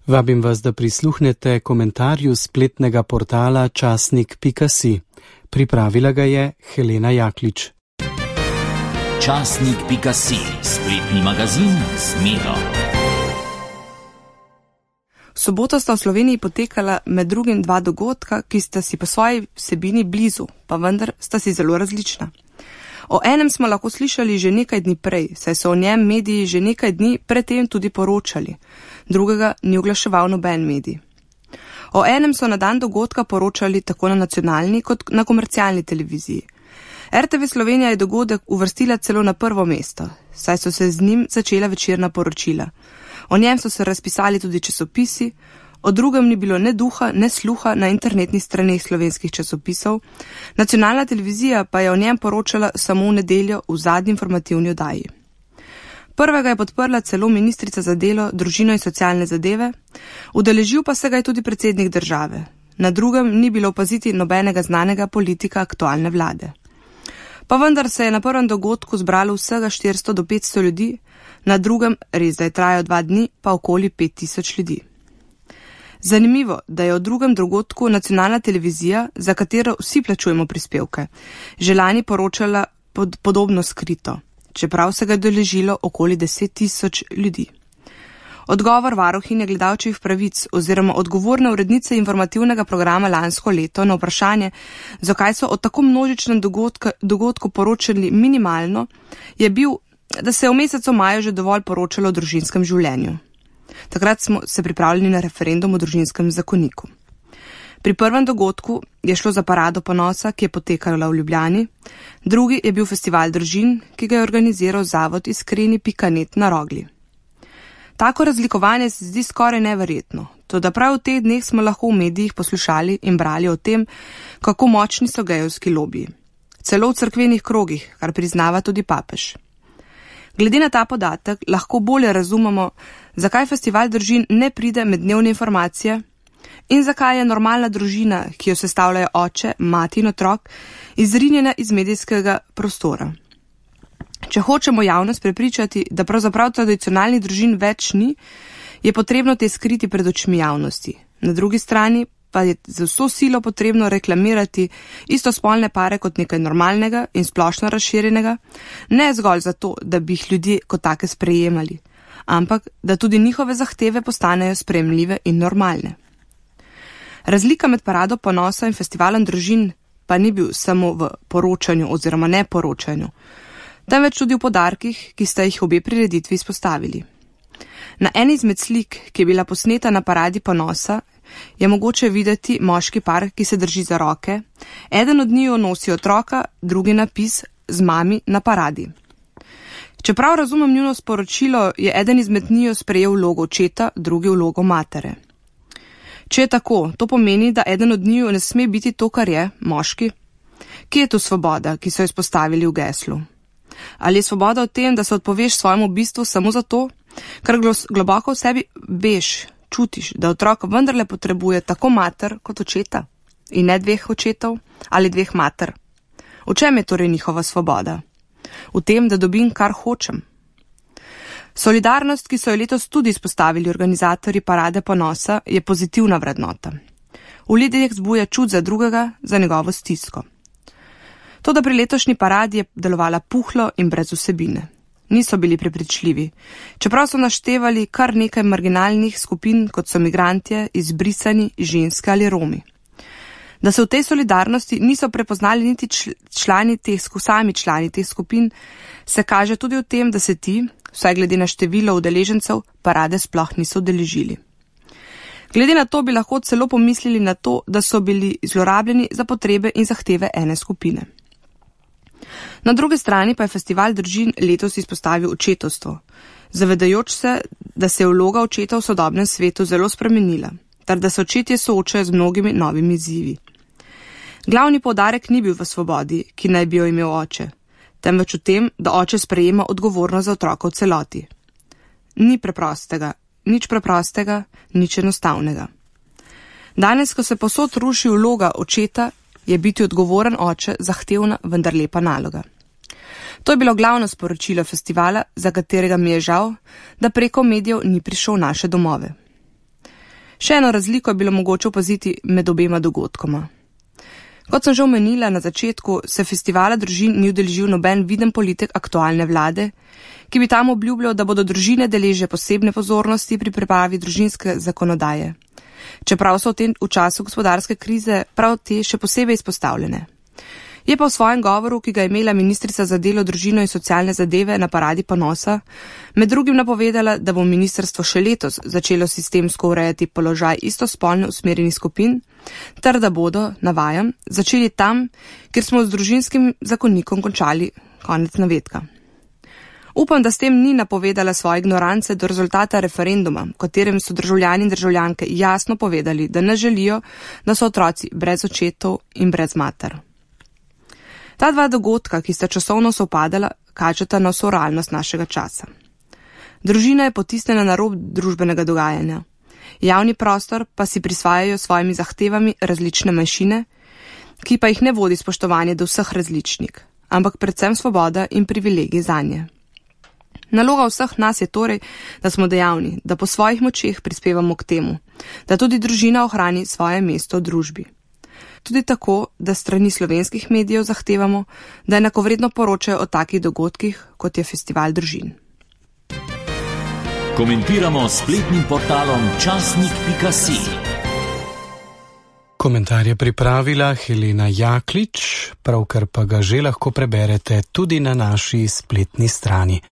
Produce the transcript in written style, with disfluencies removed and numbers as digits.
Vabim vas, da prisluhnete komentarju spletnega portala časnik.si. Pripravila ga je Helena Jaklič. Časnik.si, spletni magazin z Miro. V soboto sta v Sloveniji potekala med drugim dva dogodka, ki sta si po svoji vsebini blizu, pa vendar sta si zelo različna. O enem smo lahko slišali že nekaj dni prej, saj so o njem mediji že nekaj dni predtem tudi poročali. Drugega ni oglaševal noben medij. O enem so na dan dogodka poročali tako na nacionalni kot na komercialni televiziji. RTV Slovenija je dogodek uvrstila celo na prvo mesto, saj so se z njim začela večerna poročila. O njem so se razpisali tudi časopisi, o drugem ni bilo ne duha, ne sluha na internetnih straneh slovenskih časopisov. Nacionalna televizija pa je o njem poročala samo v nedeljo v zadnji informativni oddaji. Prvega je podprla celo ministrica za delo, družino in socialne zadeve, udeležil pa se ga je tudi predsednik države. Na drugem ni bilo opaziti nobenega znanega politika aktualne vlade. Pa vendar se je na prvem dogodku zbralo vsega 400 do 500 ljudi, na drugem, res da je trajal 2 dni, pa okoli 5000 ljudi. Zanimivo, da je o drugem dogodku nacionalna televizija, za katero vsi plačujemo prispevke, že lani poročala podobno skrito, čeprav se ga je udeležilo okoli 10 000 ljudi. Odgovor varuhinje gledalčevih pravic oziroma odgovorne urednice informativnega programa lansko leto na vprašanje, zakaj so o tako množičnem dogodku poročali minimalno, je bil, da se je v mesecu maju že dovolj poročalo o družinskem življenju. Takrat smo se pripravljali na referendum o družinskem zakoniku. Pri prvem dogodku je šlo za parado ponosa, ki je potekala v Ljubljani, drugi je bil festival družin, ki ga je organiziral zavod Iskreni.net na Rogli. Tako razlikovanje se zdi skoraj neverjetno, toda prav v teh dneh smo lahko v medijih poslušali in brali o tem, kako močni so gejevski lobiji. Celo v cerkvenih krogih, kar priznava tudi papež. Glede na ta podatek lahko bolje razumemo, zakaj festival družin ne pride med dnevne informacije in zakaj je normalna družina, ki jo sestavljajo oče, mati in otrok, izrinjena iz medijskega prostora. Če hočemo javnost prepričati, da pravzaprav tradicionalnih družin več ni, je potrebno te skriti pred očmi javnosti. Na drugi strani pa je za vso silo potrebno reklamirati istospolne pare kot nekaj normalnega in splošno razširjenega, ne zgolj zato, da bi jih ljudje kot take sprejemali, ampak da tudi njihove zahteve postanejo sprejemljive in normalne. Razlika med parado ponosa in festivalom družin pa ni bil samo v poročanju oziroma neporočanju, temveč tudi v poudarkih, ki sta jih obe prireditvi izpostavili. Na eni izmed slik, ki je bila posneta na paradi ponosa, je mogoče videti moški par, ki se drži za roke, eden od njiju nosi otroka, drugi napis z mami na paradi. Čeprav razumem njuno sporočilo, je eden izmed njiju sprejel vlogo očeta, drugi vlogo matere. Če je tako, to pomeni, da eden od njiju ne sme biti to, kar je, moški. Kje je tu svoboda, ki so jo izpostavili v geslu? Ali je svoboda v tem, da se odpoveš svojemu bistvu samo zato, ker globoko v sebi veš, čutiš, da otrok vendarle potrebuje tako mater kot očeta in ne 2 očetov ali 2 mater? V čem je torej njihova svoboda? V tem, da dobim, kar hočem. Solidarnost, ki so jo letos tudi izpostavili organizatorji parade ponosa, je pozitivna vrednota. V ljudeh zbuja čut za drugega, za njegovo stisko. Toda pri letošnji paradi je delovala puhlo in brez vsebine. Niso bili prepričljivi, čeprav so naštevali kar nekaj marginalnih skupin, kot so migrantje, izbrisani, ženske ali Romi. Da se v tej solidarnosti niso prepoznali niti sami člani teh skupin, se kaže tudi v tem, da se ti, vsaj glede na število udeležencev, parade sploh niso udeležili. Glede na to bi lahko celo pomislili na to, da so bili zlorabljeni za potrebe in zahteve ene skupine. Na drugi strani pa je festival družin letos izpostavil očetovstvo, zavedajoč se, da se je vloga očeta v sodobnem svetu zelo spremenila, ter da se očetje soočajo z mnogimi novimi izzivi. Glavni poudarek ni bil v svobodi, ki naj bi jo imel oče, temveč v tem, da oče sprejema odgovornost za otroka v celoti. Ni preprostega, nič preprostega, nič enostavnega. Danes, ko se povsod ruši vloga očeta, je biti odgovoren oče zahtevna, vendar lepa naloga. To je bilo glavno sporočilo festivala, za katerega mi je žal, da preko medijev ni prišel v naše domove. Še eno razliko je bilo mogoče opaziti med obema dogodkoma. Kot sem že omenila na začetku, se festivala družin ni udeležil noben viden politik aktualne vlade, ki bi tam obljubljal, da bodo družine deležne posebne pozornosti pri pripravi družinske zakonodaje. Čeprav so v času gospodarske krize prav te še posebej izpostavljene. Je pa v svojem govoru, ki ga je imela ministrica za delo, družino in socialne zadeve na paradi ponosa, med drugim napovedala, da bo ministrstvo še letos začelo sistemsko urejati položaj istospolno usmerjenih skupin, ter da bodo, navajam, začeli tam, kjer smo z družinskim zakonikom končali, konec navedka. Upam, da s tem ni napovedala svoje ignorance do rezultata referenduma, v katerem so državljani in državljanke jasno povedali, da ne želijo, da so otroci brez očetov in brez mater. Ta dva dogodka, ki sta časovno sovpadala, kažeta na vso realnost našega časa. Družina je potisnjena na rob družbenega dogajanja. Javni prostor pa si prisvajajo svojimi zahtevami različne manjšine, ki pa jih ne vodi spoštovanje do vseh različnih, ampak predvsem svoboda in privilegij zanje. Naloga vseh nas je torej, da smo dejavni, da po svojih močeh prispevamo k temu, da tudi družina ohrani svoje mesto v družbi. Tudi tako, da strani slovenskih medijev zahtevamo, da enakovredno poročajo o takih dogodkih, kot je festival družin. Komentiramo s spletnim portalom časnik.si. Komentar je pripravila Helena Jaklič, pravkar pa ga že lahko preberete tudi na naši spletni strani.